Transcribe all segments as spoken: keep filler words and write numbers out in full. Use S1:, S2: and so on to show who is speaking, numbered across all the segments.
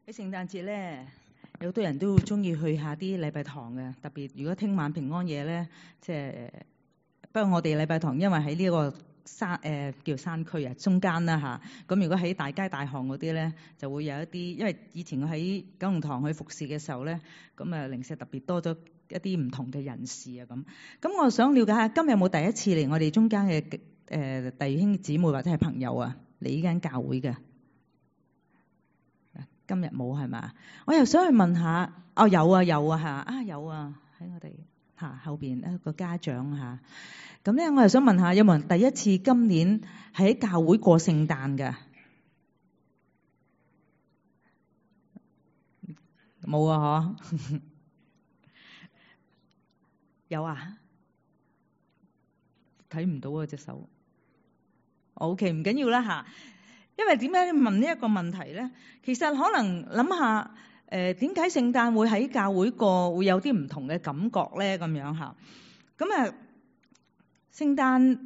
S1: 喺聖誕節咧，有好多人都中意去下啲禮拜堂嘅，特別如果聽晚平安夜咧，即係不過我哋禮拜堂因為喺呢個山誒、呃、叫山區啊，中間啦嚇。咁如果喺大街大巷嗰啲咧，就會有一啲，因為以前我喺九龍塘去服侍嘅時候咧，咁啊零舍特別多咗一啲唔同嘅人士啊咁。咁我想了解下，今日有冇第一次嚟我哋中間嘅誒弟兄姊妹或者係朋友啊嚟呢間教會嘅？今日冇係嘛？我又想去問下，哦有啊有啊嚇，啊有啊喺我哋嚇後邊一個家長嚇。咁咧，我又想問下，有冇人第一次今年喺教會過聖誕㗎？冇啊嗬？有啊？睇唔到啊隻手。OK， 唔緊要啦嚇。因為點解問呢一個問題咧？其實可能諗下，誒點解聖誕會喺教會過會有啲唔同嘅感覺咧？咁樣嚇，咁啊，聖誕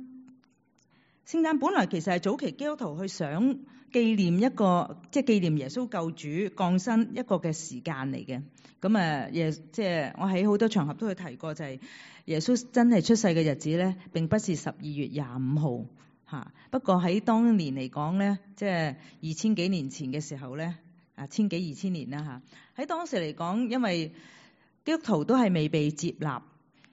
S1: 聖誕本來其實係早期基督徒去想紀念一個，即係紀念耶穌救主降生一個嘅時間嚟嘅。咁啊，耶即係我喺好多場合都去提過，就係耶穌真係出世嘅日子咧，並不是十二月廿五號。嚇！不過喺當年嚟講咧，即係二千幾年前嘅時候咧，啊千幾二千年啦嚇。喺當時嚟講，因為基督徒都係未被接納，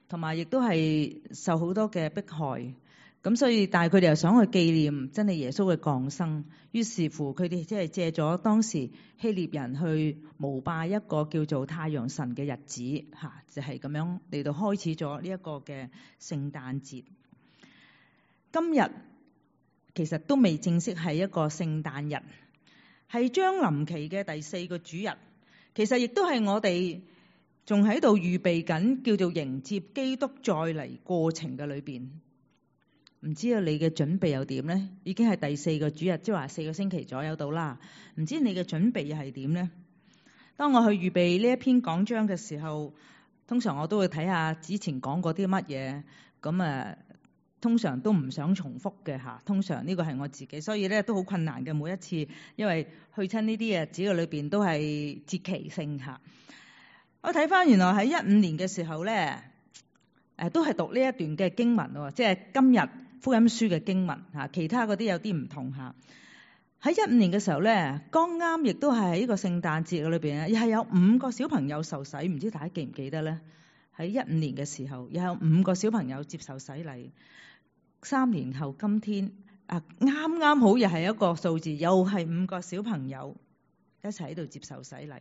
S1: 同埋亦都係受好多嘅迫害，咁所以但係佢哋又想去紀念真係耶穌嘅降生，於是乎佢哋即係借咗當時希臘人去膜拜一個叫做太陽神嘅日子嚇，就係咁樣嚟到開始咗呢一個嘅聖誕節。今日其實都未正式係一個聖誕日，係將臨期嘅第四個主日。其實亦都係我哋仲喺度預備緊，叫做迎接基督再嚟過程嘅裏邊。唔知道你嘅準備又點呢？已經係第四個主日，即係話四個星期左右到啦。唔知你嘅準備又係點呢？當我去預備呢一篇講章嘅時候，通常我都會睇下之前講過啲乜嘢，咁啊。通常都唔想重複嘅嚇，通常呢個係我自己，所以咧都好困難嘅每一次，因為去親呢啲日子嘅裏邊都係節期性嚇。我睇翻原來喺一五年嘅時候咧，誒都係讀呢一段嘅經文喎，即係今日福音書嘅經文嚇，其他嗰啲有啲唔同嚇。喺一五年嘅時候咧，剛啱亦都係喺呢個聖誕節嘅裏邊咧，又係有五個小朋友受洗，唔知大家記唔記得咧？喺一五年嘅時候，又有五個小朋友接受洗禮。三年後今天啊，啱啱好又係一個數字，又係五個小朋友一齊喺度接受洗禮。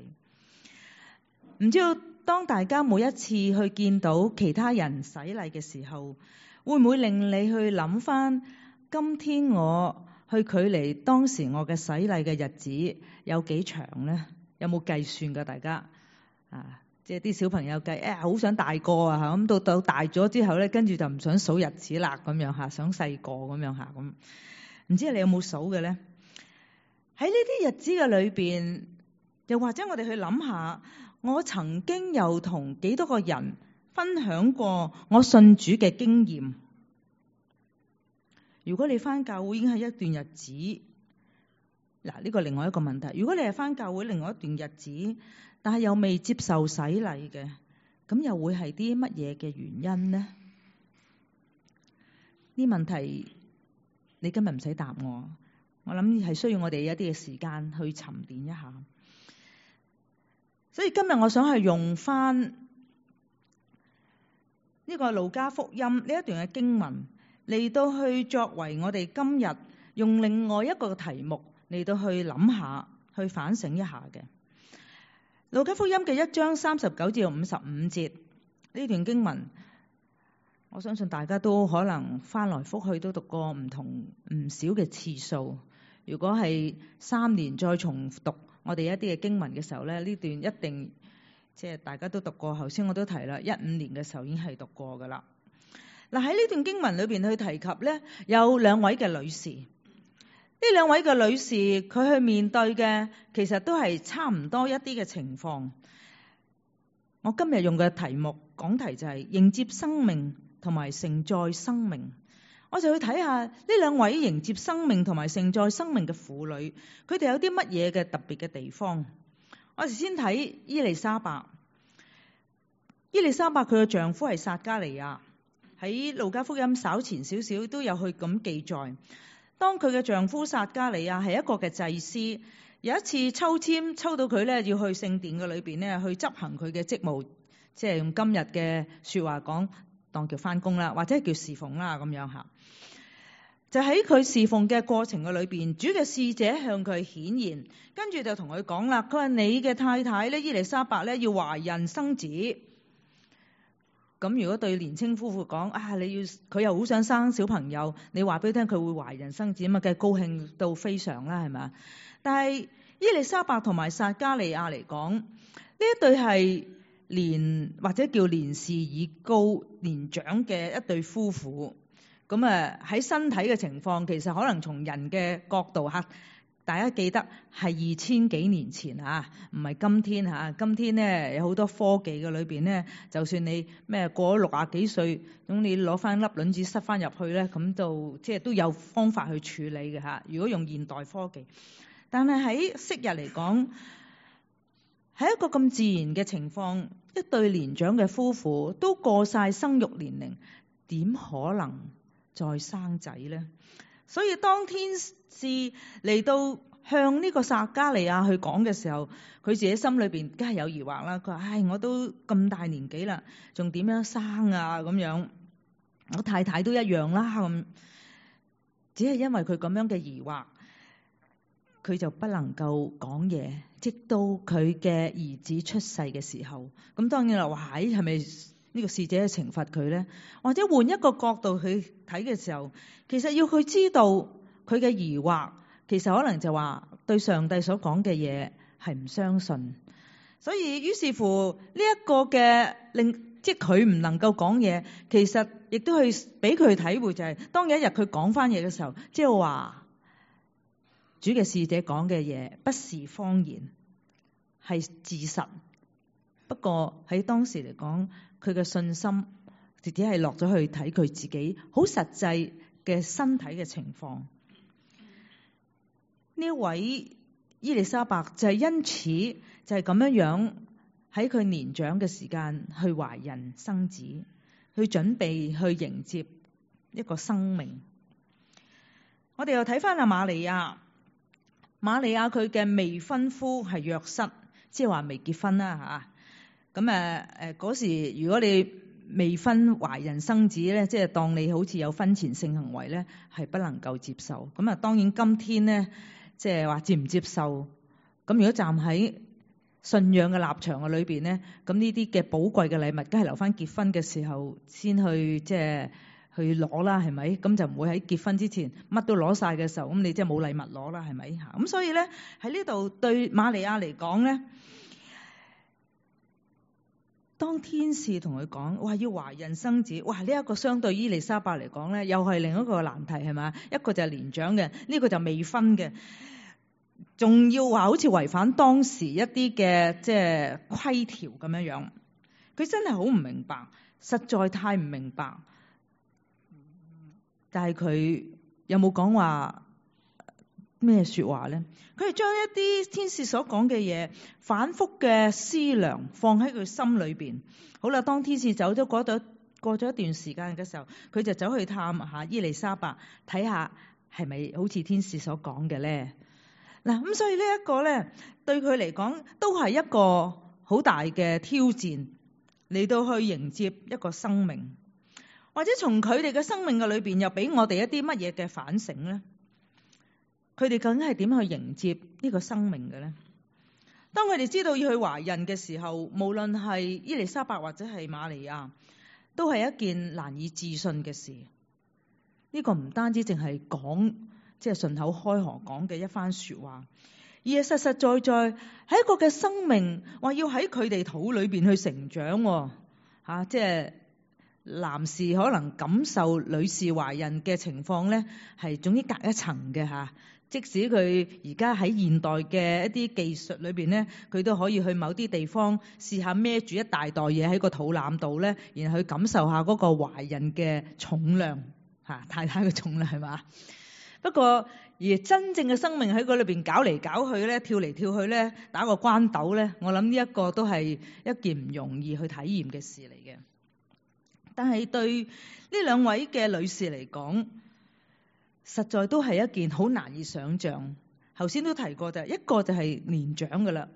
S1: 唔知道當大家每一次去見到其他人洗禮嘅時候，會唔會令你去諗翻今天我去距離當時我嘅洗禮嘅日子有幾長呢？有冇計算㗎？大家啊？即係啲小朋友計，誒、哎、好想大個啊嚇，咁到到大咗之後咧，跟住就唔想數日子啦咁樣嚇，想細個咁樣嚇咁。唔知你有冇數嘅咧？喺呢啲日子嘅裏邊，又或者我哋去諗下，我曾經又同幾多個人分享過我信主嘅經驗。如果你返教會已經係一段日子，嗱呢個另外一個問題。如果你係返教會另外一段日子，但係又未接受洗禮嘅，咁又會係啲乜嘢嘅原因呢？呢問題你今日唔使答我，我諗係需要我哋一啲嘅時間去沉澱一下。所以今日我想係用翻呢個路加福音呢一段嘅經文嚟到去作為我哋今日用另外一個題目嚟到去諗下，去反省一下嘅。路加福音嘅一章三十九至五十五節呢段經文，我相信大家都可能翻來覆去都讀過唔同唔少嘅次數。如果係三年再重讀我哋一啲嘅經文嘅時候咧，呢段一定即係大家都讀過。頭先我都提啦，一五年嘅時候已經係讀過噶啦。嗱，喺呢段經文裏邊去提及咧，有兩位嘅女士。呢兩位嘅女士，佢去面對嘅其實都係差唔多一啲嘅情況。我今日用嘅題目講題就係迎接生命同埋承載生命。我就去睇下呢兩位迎接生命同埋承載生命嘅婦女，佢哋有啲乜嘢嘅特別嘅地方。我哋先睇伊麗莎白。伊麗莎白佢嘅丈夫係撒迦利亞，喺路加福音稍前少少都有去咁記載。當佢嘅丈夫撒迦利亞係一個嘅祭司，有一次抽籤抽到佢咧，要去聖殿嘅裏邊咧去執行佢嘅職務，即係用今日嘅說話講，當叫翻工啦，或者係叫侍奉啦咁樣吓。就喺佢侍奉嘅過程嘅裏邊，主嘅使者向佢顯現，跟住就同佢講啦，佢話你嘅太太咧伊麗莎白咧要懷孕生子。咁如果對年青夫婦講啊，你要佢又好想生小朋友，你話俾佢聽佢會懷孕生子，咁啊梗係高興到非常啦，係咪？但係伊麗莎白同埋撒迦利亞嚟講，呢一對係年或者叫年事已高年長嘅一對夫婦。咁啊喺身體嘅情況，其實可能從人嘅角度嚇。大家記得係二千幾年前嚇，唔係今天嚇。今天咧有好多科技嘅裏邊咧，就算你咩過咗六啊幾歲，咁你攞翻粒卵子塞翻入去咧，咁就即係都有方法去處理嘅嚇。如果用現代科技，但係喺昔日嚟講，喺一個咁自然嘅情況，一對年長嘅夫婦都過晒生育年齡，點可能再生仔咧？所以當天使嚟到向呢個撒迦利亞去講嘅時候，佢自己心裏邊梗係有疑惑啦。佢話：唉，我都咁大年紀啦，仲點樣生啊？咁樣我太太都一樣啦。咁只係因為佢咁樣嘅疑惑，佢就不能夠講嘢，直到佢嘅兒子出世嘅時候。咁當然啦，話唉，係咪呢個使者去懲罰佢咧？或者換一個角度去睇嘅時候，其實要佢知道佢嘅疑惑，其實可能就話對上帝所講嘅嘢係唔相信，所以於是乎呢一個嘅令即係佢唔能夠講嘢，其實亦都係俾佢體會就係、是、當有一日佢講翻嘢嘅時候，即係話主嘅使者講嘅嘢不是謊言，係事實。不過喺當時嚟講，佢嘅信心直接係落咗去睇佢自己好實際嘅身體嘅情況。呢一位伊麗莎白就係因此就係咁樣樣喺佢年長嘅時間去懷孕生子，去準備去迎接一個生命。我哋又睇翻阿瑪利亞，瑪利亞佢嘅未婚夫係約瑟，即係話未結婚啦吓。咁誒誒嗰時，如果你未婚懷孕生子咧，即係當你好似有婚前性行為咧，係不能夠接受。咁啊，當然今天咧，即係話接唔接受？咁如果站喺信仰嘅立場嘅裏邊咧，咁呢啲嘅寶貴嘅禮物，梗係留翻結婚嘅時候先去即係去攞啦，係咪？咁就唔會喺結婚之前乜都攞晒嘅時候，咁你即係冇禮物攞啦，係咪？嚇！咁所以咧喺呢度對瑪利亞嚟講咧。當天使同佢講，哇，要懷孕生子，哇！呢、這、一個相對伊麗莎白嚟講咧，又係另一個難題，係嘛？一個就係年長嘅，呢、這個就未婚嘅，仲要話好似違反當時一啲嘅即係規條咁樣樣。佢真係好唔明白，實在太唔明白。但係佢有冇講話咩說話咧？佢係將一啲天使所講嘅嘢反覆嘅思量放喺佢心裏邊。好啦，當天使走咗嗰度，過咗一段時間嘅時候，佢就走去探下伊麗莎白，睇下係咪好似天使所講嘅咧。嗱，咁所以呢一個咧，對佢嚟講都係一個好大嘅挑戰，嚟到去迎接一個生命，或者從佢哋嘅生命嘅裏邊又俾我哋一啲乜嘢嘅反省咧？佢哋究竟係點去迎接呢個生命嘅咧？當佢哋知道要去懷孕嘅時候，無論係伊麗莎白或者係瑪利亞，都係一件難以置信嘅事。呢個唔單止淨係講，即係順口開河講嘅一番說話，而係實實在在係一個嘅生命，話要喺佢哋肚裏邊去成長。吓、啊，即係男士可能感受女士懷孕嘅情況咧，係總之隔一層嘅吓。即使佢而家喺現代嘅一啲技術裏邊咧，佢都可以去某啲地方試下孭住一大袋嘢喺個肚腩度咧，然後去感受下嗰個懷孕嘅重量吓，太太嘅重量係嘛？不不過而真正嘅生命喺嗰裏邊搞嚟搞去咧，跳嚟跳去咧，打個關鬥咧，我諗呢一個都係一件唔容易去體驗嘅事嚟嘅。但係對呢兩位嘅女士嚟講，實在都係一件好難以想像。頭先都提過就係一個就係年長嘅啦，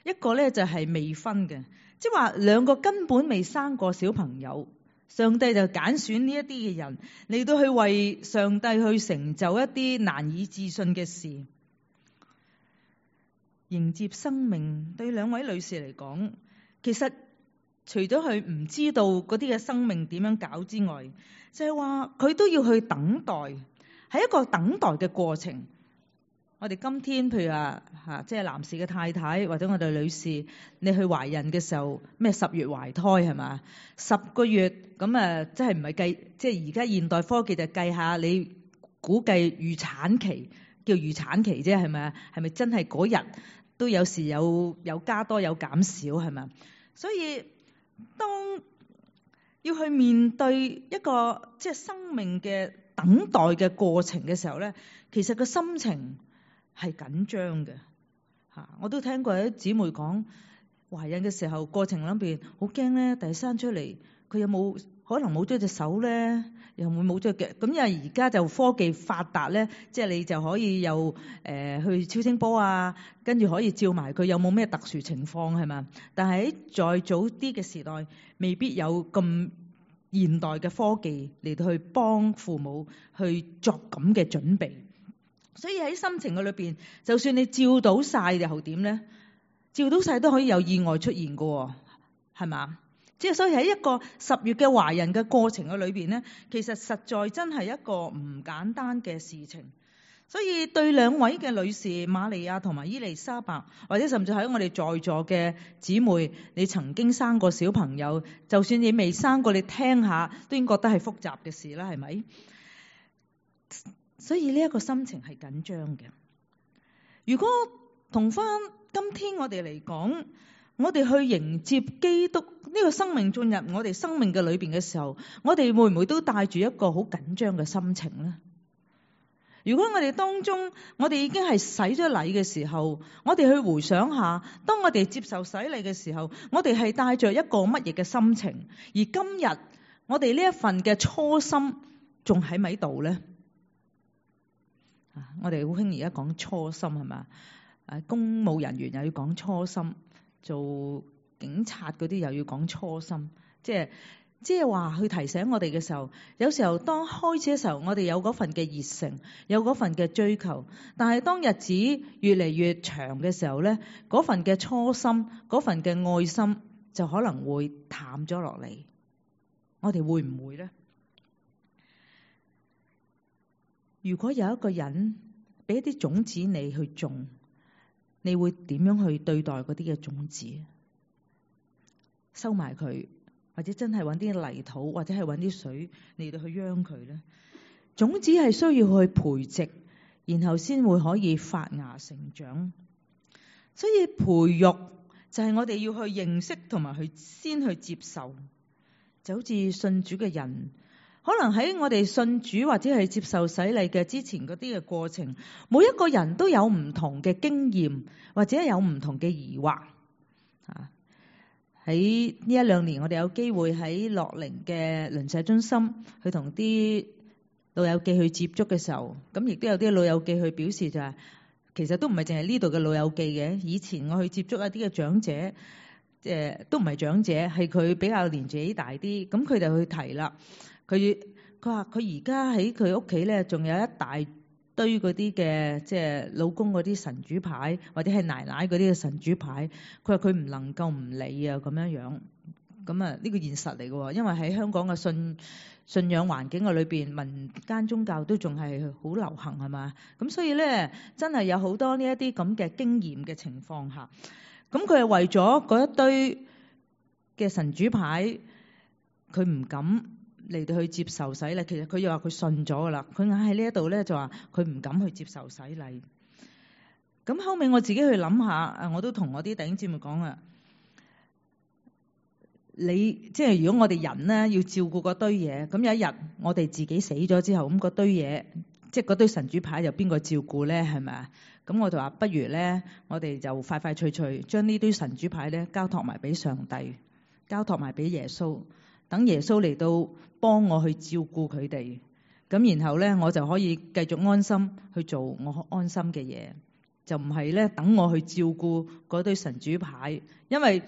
S1: 一個咧就係未婚嘅，即係話兩個根本未生過小朋友，上帝就揀選呢一啲嘅人嚟到去為上帝去成就一啲難以置信嘅事。迎接生命對兩位女士嚟講，其實除咗佢唔知道嗰啲嘅生命點樣搞之外，就係話佢都要去等待，係一個等待嘅過程。我哋今天譬如話嚇，即係男士嘅太太或者我哋女士，你去懷孕嘅時候，咩十月懷胎係嘛？十個月咁啊，即係唔係計？即係而家現代科技就計下你估計預產期，叫預產期啫，係咪啊？係咪真係嗰日都有時有有加多有減少係咪？所以當要去面對一個即係生命嘅等待嘅過程嘅時候咧，其實個心情係緊張嘅嚇。我都聽過有啲姊妹講懷孕嘅時候過程裏邊好驚咧，第生出嚟佢有冇可能冇咗隻手咧，又會冇咗腳。咁因為而家就科技發達咧，即係你就可以又誒、呃、去超聲波啊，跟住可以照埋佢有冇咩特殊情況係嘛。但係喺再早啲嘅時代，未必有咁現代嘅科技嚟到去幫父母去作咁嘅準備。所以喺心情嘅裏邊，就算你照到晒又點咧？照到晒都可以有意外出現嘅，係嘛？即係所以喺一個十月嘅懷孕嘅過程嘅裏邊咧，其實實在真係一個唔簡單嘅事情。所以對兩位嘅女士瑪利亞同埋伊麗莎白，或者甚至喺我哋在座嘅姊妹，你曾經生過小朋友，就算你未生過，你聽下都應該覺得係複雜嘅事啦，係咪？所以呢一個心情係緊張嘅。如果同翻今天我哋嚟講，我哋去迎接基督呢個生命進入我哋生命嘅裏邊嘅時候，我哋會唔會都帶住一個好緊張嘅心情呢？如果我哋當中我哋已經係洗咗禮嘅時候，我哋去回想下，當我哋接受洗禮嘅時候，我哋係帶着一個乜嘢嘅心情？而今日我哋呢一份嘅初心仲喺咪度呢？我哋好興而家講初心係嘛？誒，公務人員又要講初心，做警察嗰啲又要講初心，即係即係話去提醒我哋嘅時候，有時候當開始嘅時候，我哋有嗰份嘅熱誠，有嗰份嘅追求，但係當日子越嚟越長嘅時候咧，嗰份嘅初心，嗰份嘅愛心就可能會淡咗落嚟。我哋會唔會咧？如果有一個人俾一啲種子你去種，你會點樣去對待嗰啲嘅種子？收埋佢，或者真係揾啲泥土，或者係揾啲水嚟到去秧佢咧？種子係需要去培植，然後先會可以發芽成長。所以培育就係我哋要去認識同埋去先去接受，就好似信主嘅人。可能喺我哋信主或者係接受洗禮嘅之前嗰啲嘅過程，每一個人都有唔同嘅經驗，或者有唔同嘅疑惑。啊，喺呢一兩年，我哋有機會喺樂齡嘅鄰舍中心去同啲老友記去接觸嘅時候，咁亦都有啲老友記去表示就係、是，其實都唔係淨係呢度嘅老友記嘅。以前我去接觸一啲嘅長者，誒、呃、都唔係長者，係佢比較年紀大啲，咁佢哋去提啦。佢佢話佢而家喺佢屋企咧，仲有一大堆嗰啲嘅即係老公嗰啲神主牌，或者係奶奶嗰啲嘅神主牌。佢話佢唔能夠唔理啊，咁樣樣。咁啊，呢個現實嚟嘅，因為喺香港嘅信信仰環境嘅裏邊，民間宗教都仲係好流行係嘛。咁所以咧，真係有好多呢一啲咁嘅經驗嘅情況下，咁佢係為咗嗰一堆嘅神主牌，佢唔敢嚟到去接受洗禮。其實佢又話佢信咗噶啦，佢硬喺呢一度咧就話佢唔敢去接受洗禮。咁後尾我自己去諗下，我都同我啲弟兄姊妹講啊，你即係如果我哋人咧要照顧嗰堆嘢，咁有一日我哋自己死咗之後，咁嗰堆嘢即係嗰堆神主牌有邊個照顧咧？係咪啊？咁我就話不如咧，我哋就快快脆脆將呢堆神主牌咧交託埋俾上帝，交託埋俾耶穌，等耶穌嚟到幫我去照顧佢哋。咁然後咧，我就可以繼續安心去做我安心嘅嘢，就唔係咧等我去照顧嗰堆神主牌，因為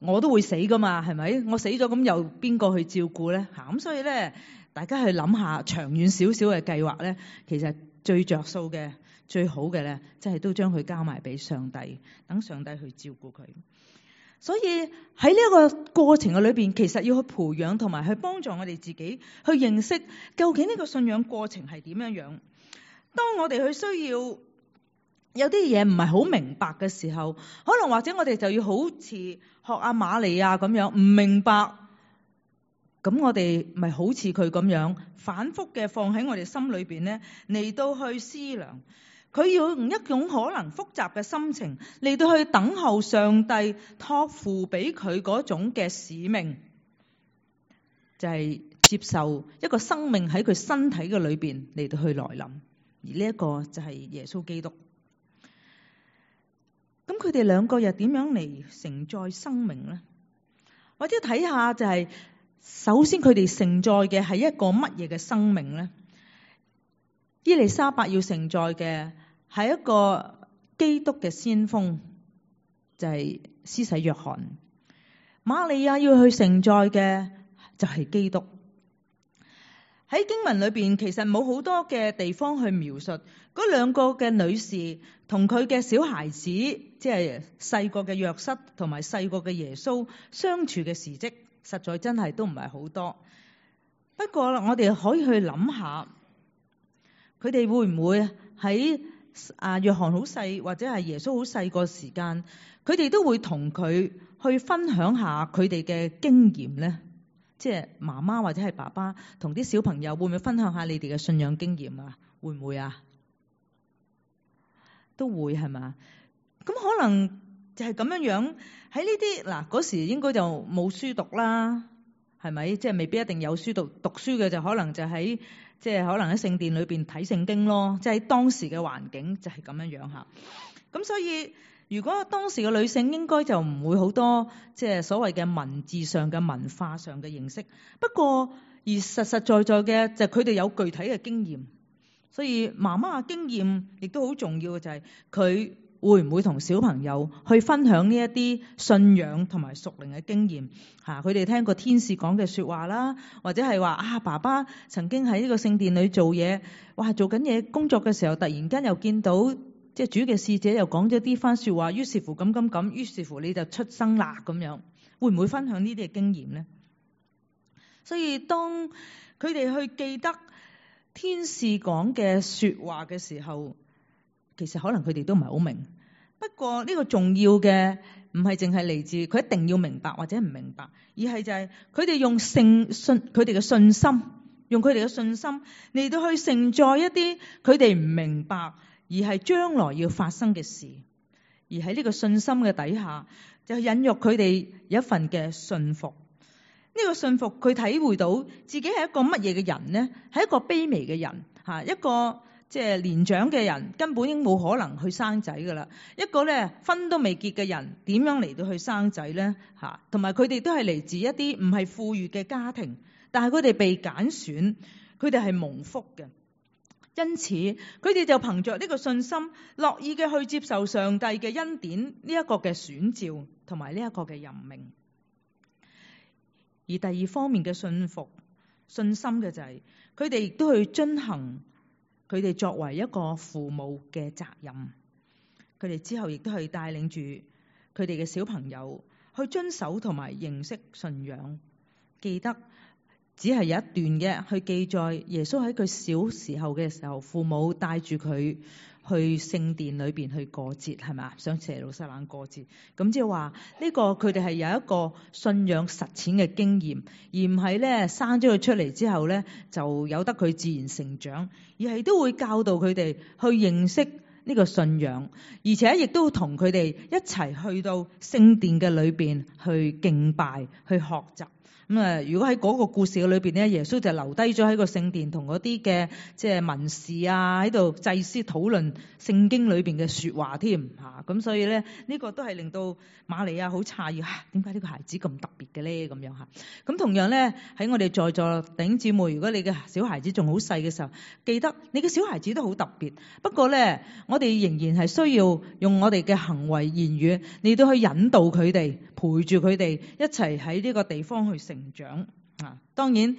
S1: 我都會死噶嘛，係咪？我死咗咁又邊個去照顧咧？嚇咁所以咧，大家去諗下長遠少少嘅計劃咧，其實最着數嘅、最好嘅咧，即係都將佢交埋俾上帝，等上帝去照顧佢。所以喺呢一個過程嘅裏邊，其實要去培養同埋去幫助我哋自己去認識究竟呢個信仰過程係點樣樣。當我哋去需要有啲嘢唔係好明白嘅時候，可能或者我哋就要好似學阿瑪利亞咁樣唔明白，咁我哋咪好似佢咁樣反覆嘅放喺我哋心裏邊咧，嚟到去思量。佢要用一種可能複雜嘅心情嚟到去等候上帝託付俾佢嗰種嘅使命，就係接受一個生命喺佢身體嘅裏邊嚟到去來臨，而呢一個就係耶穌基督。咁佢哋兩個又點樣嚟承載生命呢？或者睇下就係，首先佢哋承載嘅係一個乜嘢嘅生命呢？伊麗莎白要承載嘅係一個基督嘅先鋒，就係施洗約翰。瑪利亞要去承載嘅就係基督。喺經文裏邊其實冇好多嘅地方去描述嗰兩個嘅女士同佢嘅小孩子，即係細個嘅約瑟同埋細個嘅耶穌相處嘅事蹟，實在真係都唔係好多。不過我哋可以去諗下，佢哋會唔會喺啊約翰好細或者係耶穌好細個時間，佢哋都會同佢去分享下佢哋嘅經驗呢？即係媽媽或者係爸爸同啲小朋友會唔會分享下你哋嘅信仰經驗啊？會唔會啊？都會係嘛？咁可能就係咁樣樣喺呢啲嗱嗰時應該就冇書讀啦，係咪？即係未必一定有書讀，讀書嘅就可能就喺即係可能喺聖殿裏邊睇聖經咯。即係當時嘅環境就係咁樣樣嚇。咁所以如果當時嘅女性應該就唔會好多即係所謂嘅文字上嘅文化上嘅認識。不過而實實在在嘅就係佢哋有具體嘅經驗。所以媽媽嘅經驗亦都好重要嘅，就係佢會唔會同小朋友去分享呢一啲信仰同埋屬靈嘅經驗嚇？佢哋聽過天使講嘅説話啦，或者係話啊爸爸曾經喺呢個聖殿裏做嘢，哇做緊嘢工作嘅時候，突然間又見到即係主嘅使者又講咗啲番説話，於是乎咁咁咁，於是乎你就出生啦咁樣，會唔會分享呢啲嘅經驗呢？所以當佢哋去記得天使講嘅説話嘅時候，其實可能佢哋都唔係好明。不過呢個重要嘅唔係淨係嚟自佢一定要明白或者唔明白，而係就係佢哋用信信佢哋嘅信心，用佢哋嘅信心嚟到去承載一啲佢哋唔明白而係將來要發生嘅事，而喺呢個信心嘅底下，就引誘佢哋有一份嘅信服。呢個信服，佢體會到自己係一個乜嘢嘅人呢？係一個卑微嘅人嚇，一個即係年長嘅人根本已經冇可能去生仔噶啦。一個咧婚都未結嘅人，點樣嚟到去生仔呢？嚇，同埋佢哋都係嚟自一啲唔係富裕嘅家庭，但係佢哋被揀選，佢哋係蒙福嘅。因此，佢哋就憑着呢個信心，樂意嘅去接受上帝嘅恩典呢一個嘅選召，同埋呢一個嘅任命。而第二方面嘅信服、信心嘅就係佢哋亦都去遵行佢哋作為一個父母嘅責任。佢哋之後亦都去帶領住佢哋嘅小朋友去遵守同埋認識信仰。記得只係有一段嘅去記載耶穌喺佢小時候嘅時候，父母帶住佢去聖殿裏邊去過節，係咪？上耶路撒冷過節，咁即係話呢個佢哋係有一個信仰實踐嘅經驗，而唔係咧生咗佢出嚟之後咧就由得佢自然成長，而係都會教導佢哋去認識呢個信仰，而且亦都同佢哋一齊去到聖殿嘅裏邊去敬拜、去學習。咁啊，如果喺嗰個故事嘅裏邊咧，耶穌就留低咗喺個聖殿同嗰啲嘅即係文士啊喺度祭司討論聖經裏邊嘅説話添嚇。咁所以咧，呢個都係令到瑪利亞好詫異嚇，點解呢個孩子咁特別嘅咧？咁樣嚇。咁同樣咧，喺我哋在座弟兄姊妹，如果你嘅小孩子仲好細嘅時候，記得你嘅小孩子都好特別。不過咧，我哋仍然係需要用我哋嘅行為言語嚟到去引導佢哋，陪住佢哋一齊喺呢個地方去成長啊。當然，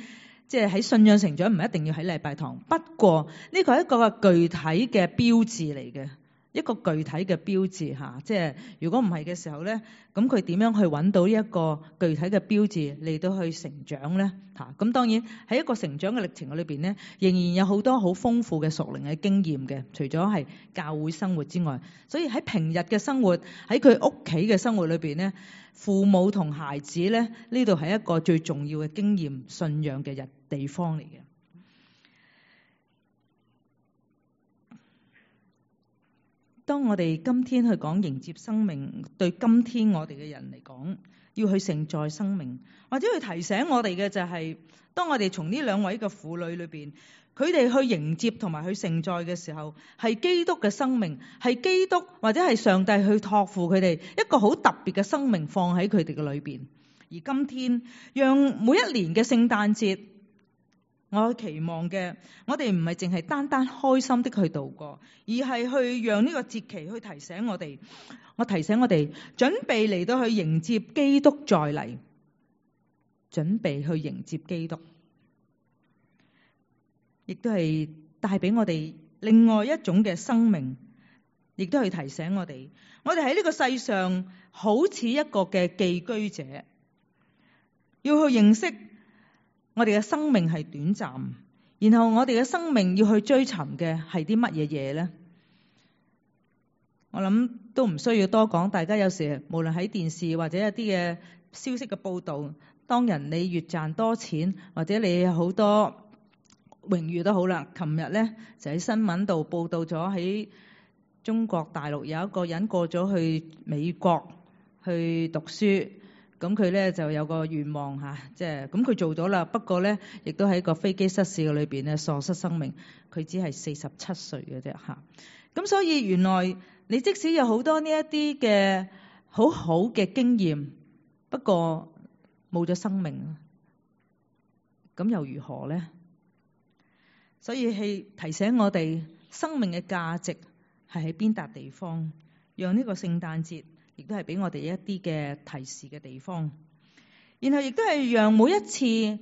S1: 即係喺信仰成長唔一定要喺禮拜堂，不過呢個係一個具體嘅標誌嚟嘅，一個具體嘅標誌嚇。即係如果唔係嘅時候咧，咁佢點樣去揾到呢一個具體嘅標誌嚟到去成長咧嚇？咁當然喺一個成長嘅歷程裏邊咧，仍然有好多好豐富嘅屬靈嘅經驗嘅，除咗係教會生活之外，所以喺平日嘅生活，喺佢屋企嘅生活裏邊咧，父母同孩子咧，呢度係一個最重要嘅經驗信仰嘅日地方嚟嘅。當我哋今天去講迎接生命，對今天我哋嘅人嚟講，要去承載生命，或者去提醒我哋嘅就係、是，當我哋從呢兩位嘅婦女裏邊，佢哋去迎接同埋去承載嘅時候，係基督嘅生命，係基督或者係上帝去託付佢哋一個好特別嘅生命放喺佢哋嘅裏邊。而今天，讓每一年嘅聖誕節，我期望嘅，我哋唔係淨係單單開心的去度過，而係去讓呢個節期去提醒我哋，我提醒我哋準備嚟到去迎接基督再嚟，準備去迎接基督，亦都係帶俾我哋另外一種嘅生命，亦都係提醒我哋，我哋喺呢個世上好似一個嘅寄居者，要去認識我哋嘅生命係短暫，然後我哋嘅生命要去追尋嘅係啲乜嘢嘢呢？我諗都唔需要多講，大家有時無論喺電視或者一啲嘅消息嘅報導，當人你越賺多錢，或者你有好多榮譽都好啦。琴日咧就喺新聞度報導咗喺中國大陸有一個人過咗去美國去讀書。咁佢咧就有個願望嚇，即係咁佢做咗啦。不過咧，亦都喺個飛機失事嘅裏邊咧喪失生命。佢只係四十七歲嘅啫嚇。咁所以原來你即使有好多呢一啲嘅好好嘅經驗，不過冇咗生命，咁又如何咧？所以係提醒我哋生命嘅價值係喺邊笪地方，讓呢個聖誕節亦都係俾我哋一啲嘅提示嘅地方，然後亦都係讓每一次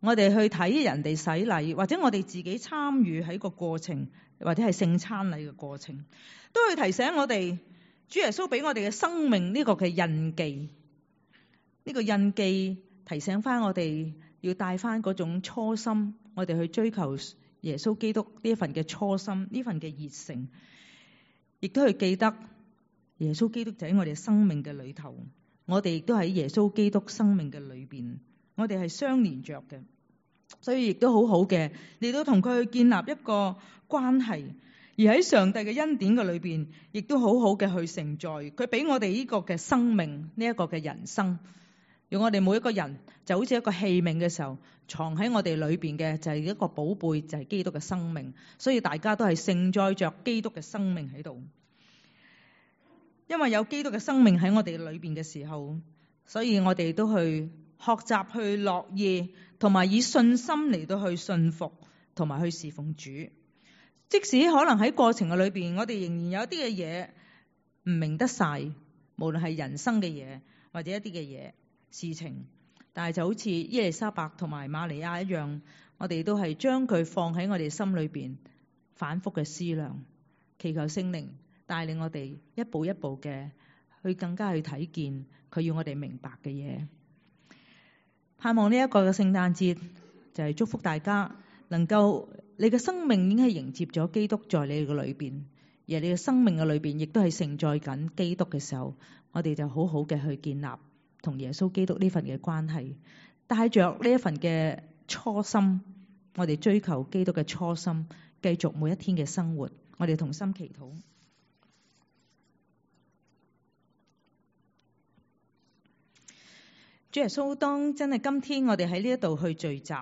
S1: 我哋去睇人哋洗禮，或者我哋自己參與喺個過程，或者係聖餐禮嘅過程，都會提醒我哋主耶穌俾我哋嘅生命呢個嘅印記，呢個印記提醒翻我哋要帶翻嗰種初心，我哋去追求耶穌基督呢一份嘅初心，呢份嘅熱誠，亦都去記得。耶穌基督就喺我哋生命嘅裏頭，我哋亦都喺耶穌基督生命嘅裏邊，我哋係相連着嘅，所以亦都好好嘅嚟到同佢去建立一個關係，而喺上帝嘅恩典嘅裏邊，亦都好好嘅去承載佢俾我哋呢個嘅生命，呢一個嘅人生，用我哋每一個人就好似一個器皿嘅時候，藏喺我哋裏邊嘅就係一個寶貝，就係基督嘅生命，所以大家都係承載着基督嘅生命喺度。因為有基督嘅生命喺我哋裏邊嘅時候，所以我哋都去學習去樂意，同埋以信心嚟到去信服，同埋去侍奉主。即使可能喺過程嘅裏邊，我哋仍然有一啲嘅嘢唔明得晒，無論係人生嘅嘢或者一啲嘅嘢事情，但係就好似伊麗莎白同埋瑪利亞一樣，我哋都係將佢放喺我哋心裏邊，反覆嘅思量，祈求聖靈帶領我哋一步一步嘅去更加去睇見佢要我哋明白嘅嘢。盼望呢一個嘅聖誕節就係祝福大家能夠你嘅生命已經係迎接咗基督在你嘅裏邊，而你嘅生命嘅裏邊亦都係承載緊基督嘅時候，我哋就好好嘅去建立同耶穌基督呢份嘅關係，帶着呢一份嘅初心，我哋追求基督嘅初心，繼續每一天嘅生活。我哋同心祈禱。主耶穌，當真係今天我哋喺呢一度去聚集，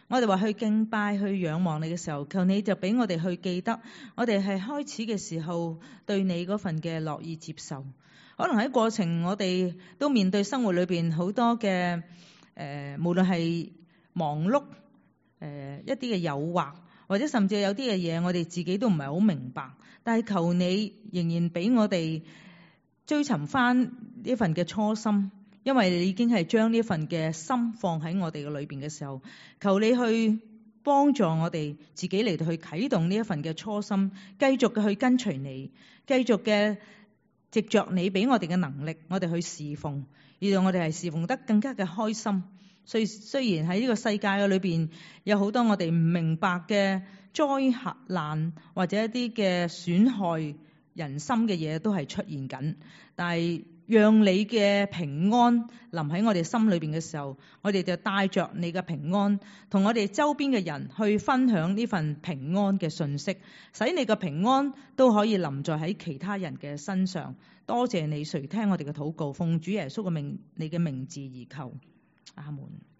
S1: 我哋話去敬拜、去仰望你嘅時候，求你就俾我哋去記得，我哋係開始嘅時候對你嗰份嘅樂意接受。可能喺過程，我哋都面對生活裏邊好多嘅誒、呃，無論係忙碌誒、呃、一啲嘅誘惑，或者甚至有啲嘅嘢，我哋自己都唔係好明白。但係求你仍然俾我哋追尋翻呢份嘅初心，因為你已經係將呢份嘅心放喺我哋嘅裏邊嘅時候，求你去幫助我哋自己嚟到去啟動呢一份嘅初心，繼續嘅去跟隨你，繼續嘅藉着你俾我哋嘅能力，我哋去侍奉，而讓我哋係侍奉得更加嘅開心。所以雖然喺呢個世界嘅裏邊有好多我哋唔明白嘅災難或者一啲嘅損害人心嘅嘢都係出現緊，但係讓你嘅平安臨喺我哋心裏邊嘅時候，我哋就帶着你嘅平安，同我哋周邊嘅人去分享呢份平安嘅信息，使你嘅平安都可以臨在喺其他人嘅身上。多謝你垂聽我哋嘅禱告，奉主耶穌嘅名，你嘅名字而求，阿門。